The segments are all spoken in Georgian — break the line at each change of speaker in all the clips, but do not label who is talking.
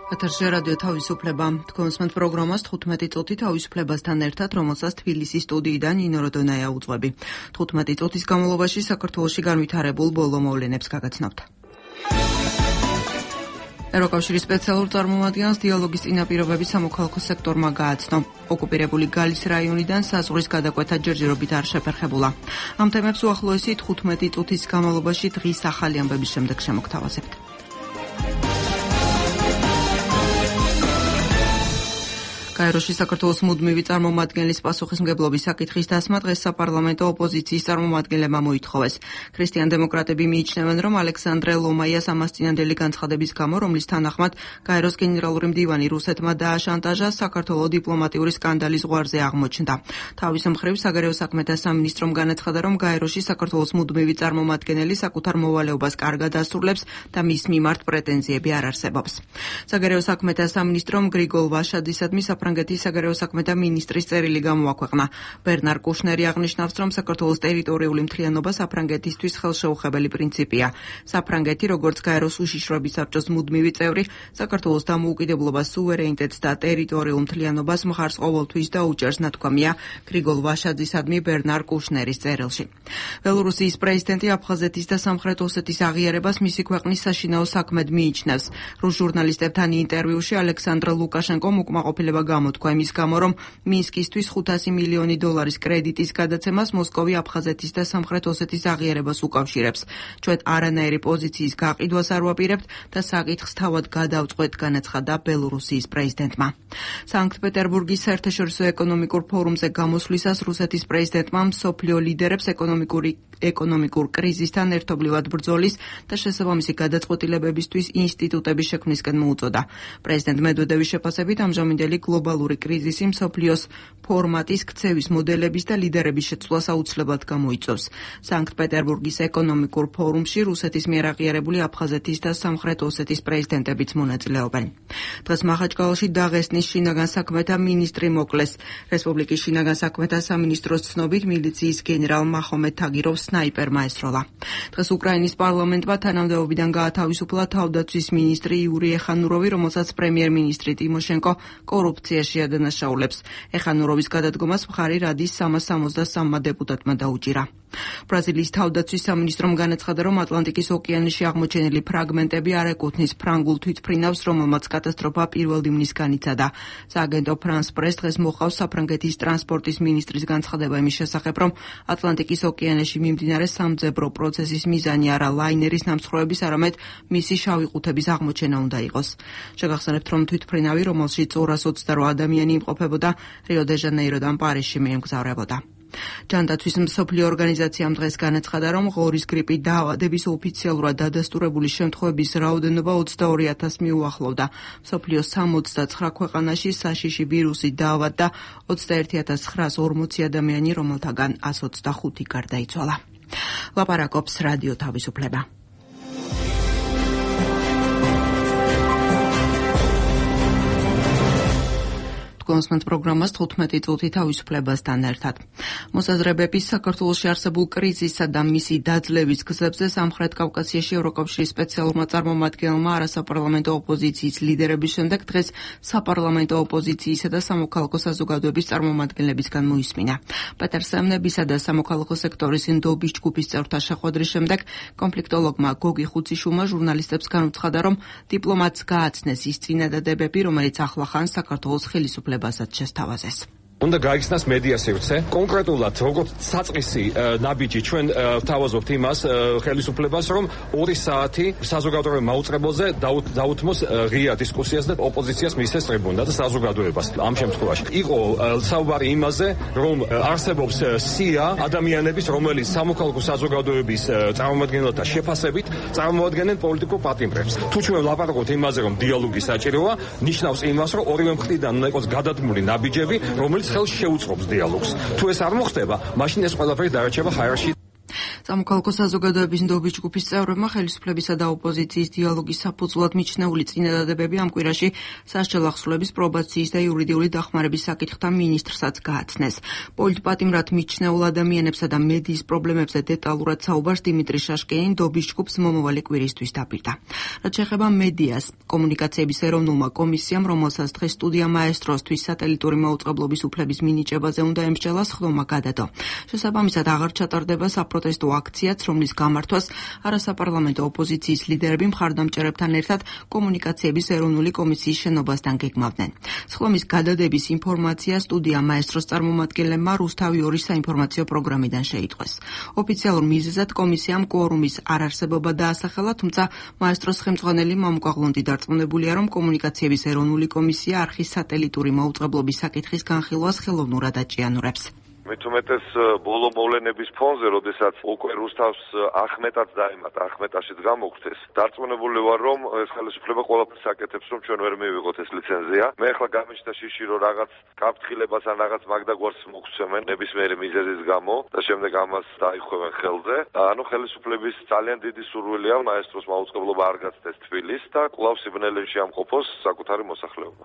ეთერში რადიო თავისუფლება. თქვენს პროგრამას 15 წუთი თავისუფლებასთან ერთად, რომელსაც თბილისის სტუდიიდან ნინო როდონაია უძღვები. 15 წუთის განმავლობაში საქართველოში განვითარებულ ბოლო მოვლენებს გაგაცნობთ. ევროკავშირის სპეციალურ წარმომადგენელს დიალოგის წინაპირობები სამოქალაქო სექტორმა გააცნო. ოკუპირებული გალის რაიონიდან საზღვრის გადაკვეთა ჯერჯერობით არ შეფერხებულა. ამ თემებს უახლოესი 15 წუთის განმავლობაში დღის ახალი ამბების შემდეგ შემოგთავაზებთ. კაიროში საქართველოს მუდმივი წარმომადგენლის პასუხისმგებლობის საკითხის დასმა დღეს საპარლამენტო ოპოზიციის წარმომადგენლებმა მოითხოვეს. ქრისტიან-დემოკრატები მიიჩნევენ, რომ ალექსანდრე ლომაიას ამასწინებელი განცხადების გამო, რომლის თანახმად კაიროს გენერალური მდივანი რუსეთმა დააშანტაჟა, საქართველოს დიპლომატიური სკანდალის ზღვარზე აღმოჩნდა. თავის მხრივ საგარეო საქმეთა სამინისტრომ განაცხადა, რომ კაიროში საქართველოს მუდმივი წარმომადგენელი საკუთარ მოვალეობას კარგად ასრულებს და მის მიმართ პრეტენზიები არ არსებობს. საგარეო საქმეთა სამინისტრომ გრიგოლ ვაშადისადმი საფრანგეთის საგარეო საქმეთა მინისტრის წერილი გამოაქვეყნა. ბერნარ კუშნერი აღნიშნავს, რომ საქართველოს ტერიტორიული მთლიანობა საფრანგეთისთვის ხელშეუხებელი პრინციპია. საფრანგეთი, როგორც კაიროს უშიშროების საბჭოს მუდმივი წევრი, საქართველოს დამოუკიდებლობას, სუვერენიტეტს და ტერიტორიულ მთლიანობას მხარს ყოველთვის დაუჭერს, ნათქვამია გრიგოლ ვაშაძისადმი ბერნარ კუშნერის წერილში. ბელორუსიის პრეზიდენტი აფხაზეთის და სამხრეთ ოსეთის აღიარებას მისი ქვეყნის საშინაო საქმედ მიიჩნევს. რუს ჟურნალისტებთან ინტერვიუში ალექსანდრ ლუკაშენკომ უკმაყოფილება გამოთქვა იმის გამო, რომ მინსკისთვის 500 მილიონი დოლარის კრედიტის გადაცემას მოსკოვი აფხაზეთის და სამხრეთ ოსეთის აღიარებას უკავშირებს. ჩვენ არანაირი პოზიციის გაყიდვას არ ვაპირებთ და საკითხს თავად გადავწყვეტ, განაცხადა ბელორუსიის პრეზიდენტმა. სანქტ-პეტერბურგის საერთაშორისო ეკონომიკურ ფორუმზე გამოსვლისას რუსეთის პრეზიდენტმა მსოფლიო ლიდერებს ეკონომიკურ კრიზისთან ერთობლივად ბრძოლის და შესაბამისი გადაწყვეტილებებისთვის ინსტიტუტების შექმნისკენ მოუწოდა. პრეზიდენტ მედვედევის შეფასებით ამჟამინდელი გლობალური კრიზისი მსოფლიოს ფორმატის ქცევის მოდელების და ლიდერების შეცვლას აუცილებლად გამოიწვევს. სანქტ-პეტერბურგის ეკონომიკურ ფორუმში რუსეთის მიერ აღიარებული აფხაზეთის და სამხრეთ ოსეთის პრეზიდენტებიც მონაწილეობენ. დღეს მახაჩკალაში დაღესტნის შინაგან საქმეთა მინისტრი მოკლეს. რესპუბლიკის შინაგან საქმეთა სამინისტროს ცნობით მილიციის გენერალ მაჰომედ თაგიროვს სნაიპერმა ესროლა. დღეს უკრაინის პარლამენტმა თანამდებობიდან გაათავისუფლა თავდაცვის მინისტრი იური ეხანუროვი, რომელსაც პრემიერ-მინისტრი ტიმოშენკო კორუფციაში ადანაშაულებს. ეხანუროვის გადადგომას მხარი რადის 363 დეპუტატმა დაუჭირა. ბრაზილიის თავდაცვის სამინისტრომ განაცხადა, რომ ატლანტიკის ოკეანეში აღმოჩენილი ფრაგმენტები არ ეკუთვნის ფრანგულ თვითმფრინავს, რომელმაც კატასტროფა პირველ ივნისგან იცადა. სააგენტო ფრანს პრეს დღეს მოყავს საფრანგეთის ტრანსპორტის მინისტრის განცხადება იმის შესახებ, რომ ატლანტიკის ოკეანეში მიმდინარე სამძებრო პროცესის მიზანი არა ლაინერის ნამსხვრევების, არამედ მისი შავი ყუთების აღმოჩენა უნდა იყოს. შეგახსენებთ, რომ თვითმფრინავი, რომელშიც 228 ადამიანი იმყოფებოდა, რიო-დე-ჟანეიროდან პარიზში მიემგზავრებოდა. ჯანდაცვის მსოფლიო ორგანიზაციამ დღეს განაცხადა, რომ ღორის გრიპით დაავადების ოფიციალურად დადასტურებული შემთხვევების რაოდენობა 22,000 მიუახლოვდა. მსოფლიოს 69 ქვეყანაში საშიში ვირუსით დაავადდა 21,940 ადამიანი, რომელთაგან 125 გარდაიცვალა. ლაპარაკობს რადიო თავისუფლება. კონსმენთ პროგრამას 15 წუთი თავისუფლებასთან ერთად. მოსაზრებების საქართველოში არსებულ კრიზისსა და მისი დაძლევის გზებზე სამხრეთ კავკასიაში ევროკავშირის სპეციალურმა წარმომადგენელმა არასაპარლამენტო ოპოზიციის ლიდერების შემდეგ დღეს საპარლამენტო ოპოზიციისა და სამოქალაქო საზოგადოების წარმომადგენლებისგან მოისმინა. პეტერ სემნებისა და სამოქალაქო სექტორის ნდობის ჯგუფის წევრთა შეხვედრის შემდეგ კონფლიქტოლოგმა გოგი ხუციშვილმა ჟურნალისტებს განუცხადა, რომ დიპლომატს გააცნეს ის წინადადებები, რომელიც ახლახან საქართველოს ხელისუფლებას შესთავაზეს.
უნდა გაიხსნას მედია სივრცე. კონკრეტულად როგორც საწყისი ნაბიჯი ჩვენ ვთავაზობთ იმას ხელისუფლებას, რომ 2 საათი საზოგადოებრივ მაუწყებელზე დაუთმოს ღია დისკუსიას და ოპოზიციას მისცეს ტრიბუნა და საზოგადოებას. ამ შემთხვევაში იყო საუბარი იმაზე, რომ არსებობს სია ადამიანების, რომელიც სამოქალაქო საზოგადოების წარმომადგენელთა შეფასებით წარმოადგენენ პოლიტიკურ პატიმრებს. თუ ჩვენ ვლაპარაკობთ იმაზე, რომ დიალოგი საჭიროა, ნიშნავს იმას, რომ ორივე მხრიდან უნდა იყოს გადადგმული ნაბიჯები, რომელიც ხელს შეუწყობს დიალოგს. თუ ეს არ მოხდება, მაშინ ეს ყველაფერი დარჩება ჰაერში.
სამოქალაქო საზოგადოების ნდობის ჯგუფის წევრებმა ხელისუფლებისა და ოპოზიციის დიალოგის საფუძვლად მიჩნეული წინადადებები ამ კვირაში სასჯელ ახსრულების პრობაციის და იურიდიული დახმარების საკითხთა მინისტრსაც გააცნეს. პოლიტპატიმრად მიჩნეულ ადამიანებსა და მედიის პრობლემებზე დეტალურად საუბარს დიმიტრი შაშკინი ნდობის ჯგუფს მომავალი კვირისთვის დაპირდა. რაც შეეხება მედიას, კომუნიკაციების ეროვნულმა კომისიამ, რომელსაც დღეს სტუდია მაესტროსთვის სატელიტური მაუწყებლობის უფლების მინიჭებაზე უნდა ემსჯელა, სხდომა გადადო. შესაბამისად აღარ ჩატარდება საპროტესტო აქციაც, რომლის გამართვას არასაპარლამენტო ოპოზიციის ლიდერები მხარდამჭერებთან ერთად კომუნიკაციების ეროვნული კომისიის შენობასთან გეგმავდნენ. სხდომის გადადების ინფორმაცია სტუდია მაესტროს წარმომადგენლებმა რუსთავი 2 საინფორმაციო პროგრამიდან შეიტყვეს. ოფიციალურ მიზეზად კომისიამ კვორუმის არარსებობა დაასახელა, თუმცა მაესტროს ხელმძღვანელი მამუკა ღლონტი დარწმუნებულია, რომ კომუნიკაციების ეროვნული კომისია არხის სატელიტური მაუწყებლობის საკითხის განხილვას ხელოვნურად აჭიანურებს.
მithumetes ბოლო მოვლენების ფონზე, როდესაც უკვე რუსთავს ახმეტაც დაემატა, ახმეტაშიც გამოგვცეს. დარწმუნებული ვარ, რომ ეს ხელისუფლება ყველაფერს აკეთებს, რომ ჩვენ ვერ მივიღოთ ეს ლიცენზია. მე ახლა გამიჩნდა შიში, რომ რაღაც გაფრთხილებას ან რაღაც მაგდაგვარს მოგცემენ ნებისმიერი მიზეზის გამო და შემდეგ ამას დაიხვევენ ხელზე. ანუ ხელისუფლების ძალიან დიდი სურვილია მაესტროს მაუწყებლობა არ გაცდეს თბილის და კვლავ სიბნელეში ამყოფოს საკუთარი მოსახლეობა.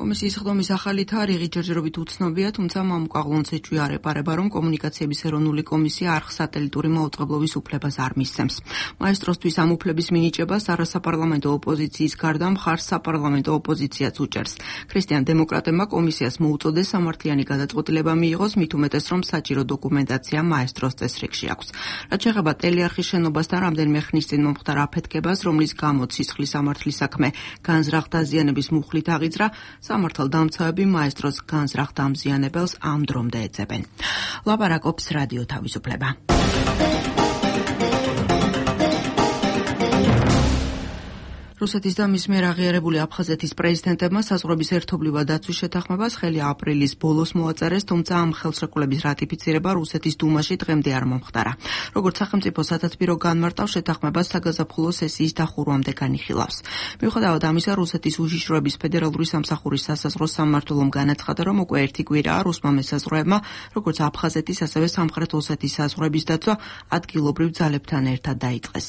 კომისიის სხდომის ახალი თარიღი ჯერჯერობით უცნობია, თუმცა მამუკა ღლონტს ეჭვია არეპარება, რომ კომუნიკაციების ეროვნული კომისია არხ სატელიტური მაუწყებლობის უფლებას არ მისცემს. მაესტროსთვის ამ უფლების მინიჭებას არასაპარლამენტო ოპოზიციის გარდა მხარს საპარლამენტო ოპოზიციაც უჭერს. ქრისტიან დემოკრატებმა კომისიას მოუწოდეს სამართლიანი გადაწყვეტილება მიიღოს, მით უმეტეს, რომ საჭირო დოკუმენტაცია მაესტროს წესრიგში აქვს. რაც შეეხება ტელეარხის შენობასთან რამდენიმე ხნის წინ მომხდარ აფეთქებას, რომლის გამო სისხლის სამართლის საქმე განზრახ დაზიანების მუხლით აღიძრა, სამართალდამცავები მაესტროს განზრახ დამზიანებელს ამ დრომდე ეძებენ. ლაპარაკობს რადიო თავისუფლება. რუსეთის და მის მიერ აღიარებული აფხაზეთის პრეზიდენტებმა საზღვრების ერთობლივად დაცვის შეთანხმებას ხელი აპრილის ბოლოს მოაწერეს, თუმცა ამ ხელშეკრულების რატიფიცირება რუსეთის დუმაში დღემდე არ მომხდარა. როგორც სახელმწიფო სათათბირო განმარტავს, შეთანხმებას საგაზაფხულო სესიის დახურვამდე განიხილავს. მიუხედავად ამისა, რუსეთის უშიშროების ფედერალური სამსახურის სასაზღვრო სამმართველომ განაცხადა, რომ უკვე 1 კვირაა რუსმა მესაზღვრეებმა, როგორც აფხაზეთის, ასევე სამხრეთ ოსეთის საზღვრების დაცვა ადგილობრივ ძალებთან ერთად დაიწყეს.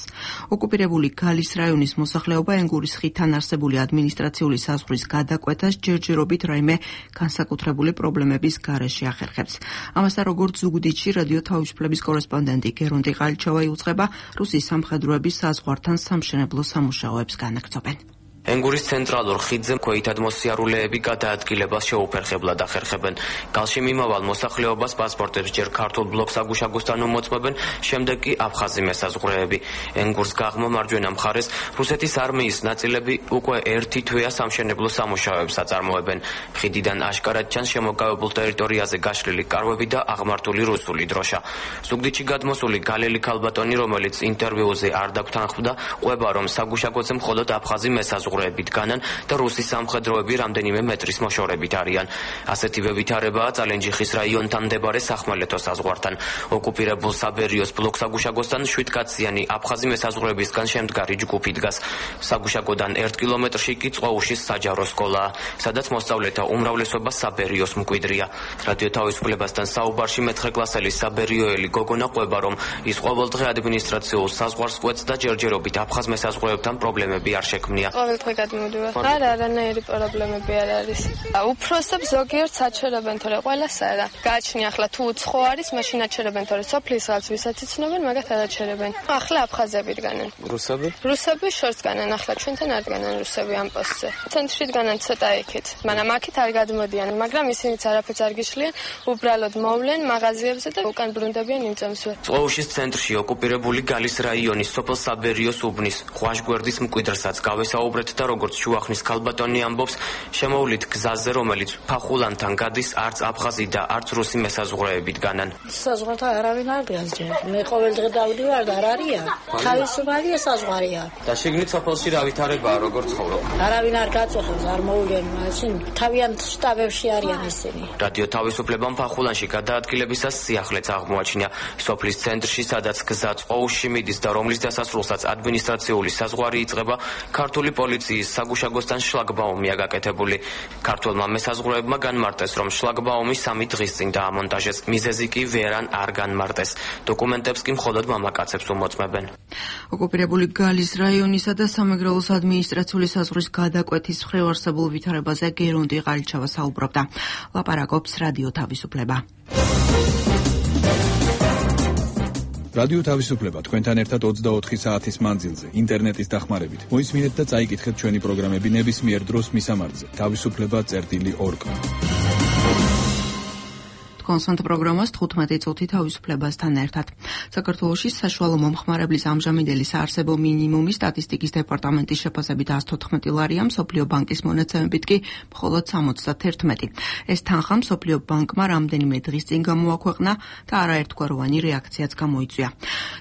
ოკუპირებული გალის რაიონის მოსახლეობა ენგურის ხიდთან არსებული ადმინისტრაციული საზღვრის გადაკვეთას ჯერჯერობით რაიმე განსაკუთრებული პრობლემების გარეშე ახერხებს. ამასთან, როგორც ზუგდიდში რადიო თავისუფლების კორესპონდენტი გერუნტი ყალიჩოვა იუწყება, რუსის სამხედროების საზღვართან სამშენებლო სამუშაოებს განაგრძობენ.
ენგურის ცენტრალურ ხიდზე ქვეითად მოსიარულეები გადაადგილებას შეუფერხებლად ახერხებენ. გალში მიმავალ მოსახლეობას პასპორტებს ჯერ ქართულ ბლოკ საგუშაგოსთან უმოწმებენ, შემდეგ კი აფხაზი მესაზღვრეები. ენგურს გაღმა მარჯვენა მხარეს რუსეთის არმიის ნაწილები უკვე 1 თვეა სამშენებლო სამუშაოებს აწარმოებენ. ხიდიდან აშკარად ჩანს შემოგავებულ ტერიტორიაზე გაშლილი კარვები და აღმართული რუსული დროშა. ზუგდიდში გადმოსული გალელი ქალბატონი, რომელიც ინტერვიუზე არ დაგვთანხმდა, ყვება, რომ საგუშაგოზე მხოლოდ აფხაზი მესაზღვრეები განან და რუსის სამხედროები რამდენიმე მეტრის მოშორებით არიან. ასეთივე ვითარებაა წალენჯიხის რაიონთან მდებარე სახმელეთო საზღვართან. ოკუპირებულ საბერიოს ბლოკ საგუშაგოსთან 7 კაციანი აფხაზი მესაზღვრეებისგან შემდგარი ჯგუფი დგას. საგუშაგოდან 1 კილომეტრში კი წყოუშის საჯარო სკოლაა, სადაც მოსწავლეთა უმრავლესობა საბერიოს მკვიდრია. რადიო თავისუფლებასთან საუბარში მე-9 კლასელი საბერიოელი გოგონა ყვება, რომ ის ყოველდღე ადმინისტრაციულ საზღვარს კვეთს და ჯერჯერობით აფხაზ მესაზღვრეებთან პრობლემები არ შექმნია.
გადმოვიდივარ. არანაირი პრობლემები არ არის. უფროსებს ზოგიერთ საჩერებენ, თორე ყველას არა. გააჩნია ახლა თუ უცხო არის, მაშინ აჩერებენ, თორე სოფლის ხალხს ვისაც იცნობენ, მაგათ არ აჩერებენ. ახლა აფხაზები დგანან. რუსები შორს დგანან, ახლა ჩვენთან არ დგანან რუსები ამ პოსტზე. ცენტრში დგანან ცოტა იქით. მაგრამ აქეთ არ გადმოდიან, მაგრამ ისინიც არაფერს არ გიშლიან, უბრალოდ მოვლენ მაღაზიებზე და უკან ბრუნდებიან იმ წამსვე.
წყოუშის ცენტრში ოკუპირებული გალის რაიონის სოფელ საბერიოს უბნის ხვაშგვერდის მკვიდრსაც გავესაუბრეთ და როგორც შუახნის ქალბატონი ამბობს, შემოვლით გზაზე, რომელიც ფახულანთან გადის, არც აფხაზი და არც რუსი მესაზღვრეები დგანან.
საზღვართან არავინ არ დგას ჯერ. მე ყოველდღე დავდივარ და არ არიან. თავისუფალია საზღვარია.
და შიგნით სოფელში რა ვითარებაა, როგორ ცხოვრობ?
არავინ არ გაწუხებს, არ მოულიან მაშინ. თავიანთ შტაბებში არიან ისინი.
რადიო თავისუფლებამ ფახულანში გადაადგილებისას სიახლეც აღმოაჩინა. სოფლის ცენტრში, სადაც გზა წყოუშში მიდის და რომლის დასასრულსაც ადმინისტრაციული საზღვარი იწყება, ქართული პოლიცია პოლიციის საგუშაგოსთან შლაგბაუმია გაკეთებული. ქართველმა მესაზღვრეებმა განმარტეს, რომ შლაგბაუმი 3 დღის წინ დაამონტაჟეს. მიზეზი კი ვერან არ განმარტეს. დოკუმენტებს კი მხოლოდ მამაკაცებს უმოწმებენ.
ოკუპირებული გალის რაიონისა და სამეგრელოს ადმინისტრაციული საზღვრის გადაკვეთის მხრივ არსებულ ვითარებაზე გერონდი ყალიჩავა საუბრობდა. ლაპარაკობს რადიო თავისუფლება.
რადიო თავისუფლება თქვენთან ერთად 24 საათის მანძილზე ინტერნეტის დახმარებით. მოისმინეთ და წაიკითხეთ ჩვენი პროგრამები ნებისმიერ დროს მისამართზე. თავისუფლება.org. კონსტანტ პროგრამას 15 წუთი თავისუფლებასთან ერთად. საქართველოში საშუალო მომხმარებლის ამჟამინდელი საარსებო მინიმუმი სტატისტიკის დეპარტამენტის შეფასებით 114 ლარია, მსოფლიო ბანკის მონაცემებით კი მხოლოდ 71. ეს თანხა მსოფლიო ბანკმა რამდენიმე დღის წინ გამოაქვეყნა და არაერთგვაროვანი რეაქციაც გამოიწვია.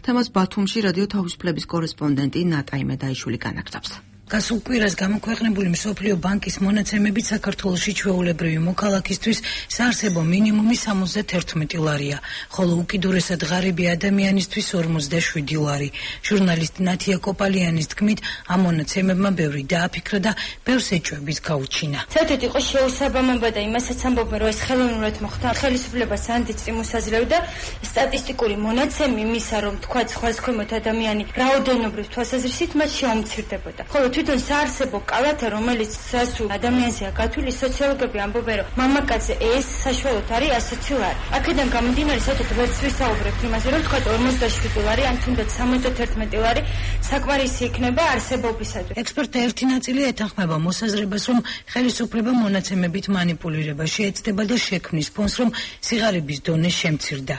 თემას ბათუმში რადიო თავისუფლების კორესპონდენტი ნატაი მედაიშვილი განაგრძობს.
გასულ კვირას გამოქვეყნებული მსოფლიო ბანკის მონაცემებით საქართველოში ჩვეულებრივი მოქალაქისთვის საარსებო მინიმუმი 71 ლარია, ხოლო უკიდურესად ღარიბი ადამიანისთვის 47 ლარი. ჟურნალისტი ნათია კოპალიანის თქმით, ამ მონაცემებმა ბევრი დააფიქრა და ბევრს ეჭვების გაუჩინა.
საერთოდ იყო შეუსაბამობა და იმასაც ამბობენ, რომ ეს ხელოვნურად მოხდა. ხელისუფლებას ანდიც წიმოსაძლევდა სტატისტიკური მონაცემი იმისა, რომ თქვა სხვადასხვამოთ ადამიანი რაოდენობრივ თვალსაზრისით მათ შეუმცირდებოდა. ხოლო თვითონ საარსებო კალათა, რომელიც სასულ ადამიანზეა გათვლილი, სოციოლოგები ამბობენ, რომ მამაკაცზე ეს საშუალოდ არის 120 ლარი. აქედან გამომდინარე, საერთოდ ვერც ვისაუბრებთ იმაზე, რომ თქვა 47 ლარი, ან თუნდაც 71 ლარი საკმარისი იქნება არსებობისათვის.
ექსპერტთა ერთი ნაწილი ეთანხმება მოსაზრებას, რომ ხელისუფლება მონაცემებით манипулირება შეეცდება და შექმნის ფონს, რომ სიღარიბის დონე შემცირდა.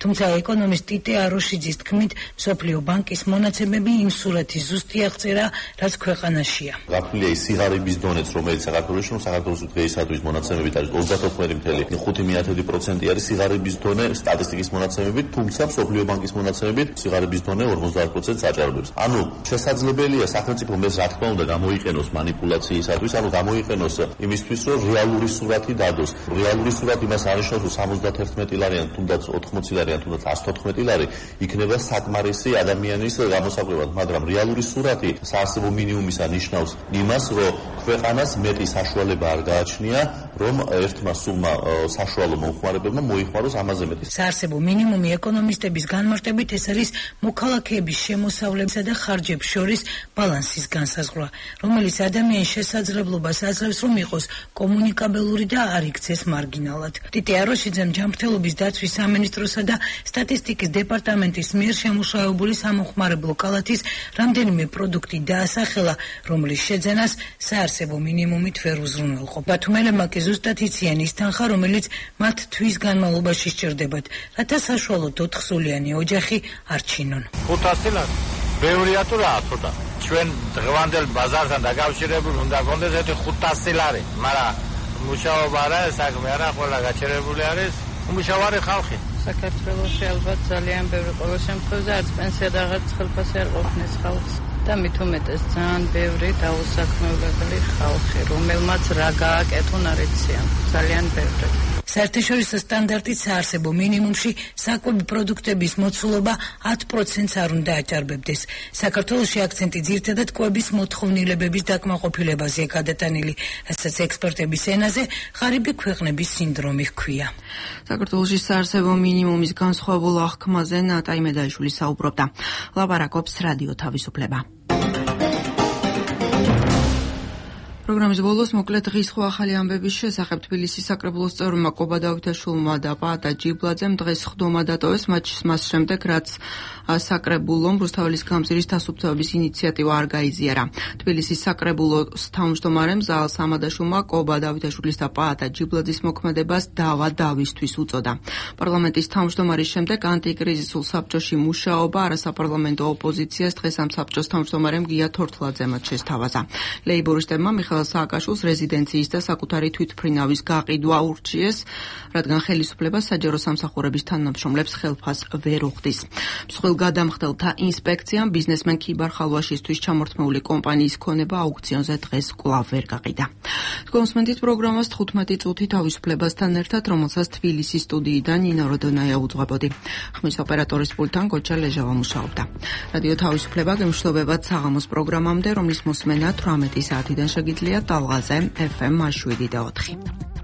თუმცა ეკონომისტ ტიტე აროშიძის თქმით, მსოფლიო ბანკის მონაცემები იმ სურათის ზუსტი აღწერა, რაც ქვეყანაშია.
გაფრთხილია ის სიღარიბის დონეც, რომელიც საქართველოში, საქართველოს დღეისათვის მონაცემებით არის 34.5% არის სიღარიბის დონე სტატისტიკის მონაცემებით, თუმცა მსოფლიო ბანკის მონაცემებით სიღარიბის დონე 50%-ს აჭარბებს. ანუ შესაძლებელია სახელმწიფომ ეს რა თქმა უნდა გამოიყენოს манипуляციისათვის, ანუ გამოიყენოს იმისთვის, რომ რეალური სურათი დადოს. რეალური სურათი იმას არნიშნავს, რომ 71 ლარი ან თუნდაც 80 ლარი ან თუნდაც 114 ლარი იქნება საკმარისი ადამიანის გამოსაკვლევად, მაგრამ რეალური სურათი საარსებო მინიმუმისა ნიშნავს იმას, რომ ქვეყანას მეტი საშუალება არ გააჩნია, რომ ერთმა სულმა საშუალო მომხმარებელმა მოიხმაროს ამაზე მეტი.
საარსებო მინიმუმი ეკონომისტების განმარტებით ეს არის მოქალაქეების შემოსავლებისა და ხარჯებს შორის ბალანსის განსაზღვრა, რომელიც ადამიანის შესაძლებლობას აძლევს, რომ იყოს კომუნიკაბელური და არ იქცეს მარგინალად. ტიტე აროშიძემ ჯანმრთელობის დაცვის სამინისტროსა და სტატისტიკის დეპარტამენტის მიერ შემუშავებული სამომხმარებლო კალათის რამდენიმე პროდუქტი დაასახელა, რომლის შეძენას საარსებო მინიმუმით ვერ უზრუნველყო. ბათუმელებმა კი ზუსტად იციან ის თანხა, რომელიც მათ თვის განმავლობაში სჭირდებათ, რათა საშუალოდ 4 სულიანი ოჯახი არ ჩინონ.
500 ლარი. ბევრია თუ რა, ცოტა. ჩვენ დღევანდელ ბაზართან დაკავშირებული უნდა გქონდეს ერთი 500 ლარი, მაგრამ მუშაობა არა, საქმე არა, ყველა გაჩერებული არის. უმუშავარი ხალხი.
საქართველოში ალბათ ძალიან ბევრი ყოველ შემთხვევაში არც პენსია და რაღაც ხელფასი არ ყოფნის ხალხს. და მით უმეტეს ძალიან ბევრი დაუსაქმებლებელი ხალხი, რომელმაც რა გააკეთონ არ იციან, ძალიან ბევრი.
საერთაშორისო სტანდარტით საარსებო მინიმუმში საკვები პროდუქტების მოცულობა 10%-ს არ უნდა აჭარბებდეს. საქართველოში აქცენტი ძირითადად კვების მოთხოვნილებების დაკმაყოფილებაზეა გადატანილი, რასაც ექსპერტების ენაზე ღარიბი ქვეყნების სინდრომი ჰქვია.
საქართველოში საარსებო მინიმუმის განსხვავებულ აღქმაზე ნატაი მედაიშვილი საუბრობდა. ლაპარაკობს რადიო თავისუფლება. პროგრამის ბოლოს მოკლედ დღის სხვა ახალი ამბების შესახებ თბილისის საკრებულოს წევრმა კობა დავითაშვილმა და პაატა ჯიბლაძემ დღეს ხდომა დატოვეს მას შემდეგ, რაც საკრებულომ რუსთაველის გამზირის დასუფთავების ინიციატივა არ გაიზიარა. თბილისის საკრებულოს თავმჯდომარემ ზაალ სამადაშვილმა კობა დავითაშვილის და პაატა ჯიბლაძის მოქმედებას დავა დავისთვის უწოდა. პარლამენტის თავმჯდომარის შემდეგ ანტიკრიზისულ საბჭოში მუშაობა არასაპარლამენტო ოპოზიციას დღეს ამ საბჭოს თავმჯდომარემ გია თორთლაძემაც შესთავაზა. ლეიბორისტებმა მიხეილ მიხეილ სააკაშვილს რეზიდენციის და საკუთარი თვითმფრინავის გაყიდვა ურჩიეს, რადგან ხელისუფლება საჯარო სამსახურების თანამშრომლებს ხელფას ვერ უხდის. მსხვილ გადამხდელთა ინსპექციამ ბიზნესმენ ქიბარ ხალვაშისთვის ჩამორთმეული კომპანიის ქონება აუქციონზე დღეს კვლავ ვერ გაყიდა. კონსუმენტის პროგრამას 15 წუთი თავისუფლებასთან ერთად, რომელსაც თბილისის სტუდიიდან ნინო როდონაია უძღვებოდი. ხმის ოპერატორის პულტთან გოჩა ლეჟავა მუშაობდა. რადიო თავისუფლება გემშვიდობებათ საღამოს პროგრამამდე, რომლის მოსმენა 18 საათიდან შეგიძლიათ ტალღაზე FM 7 და 4.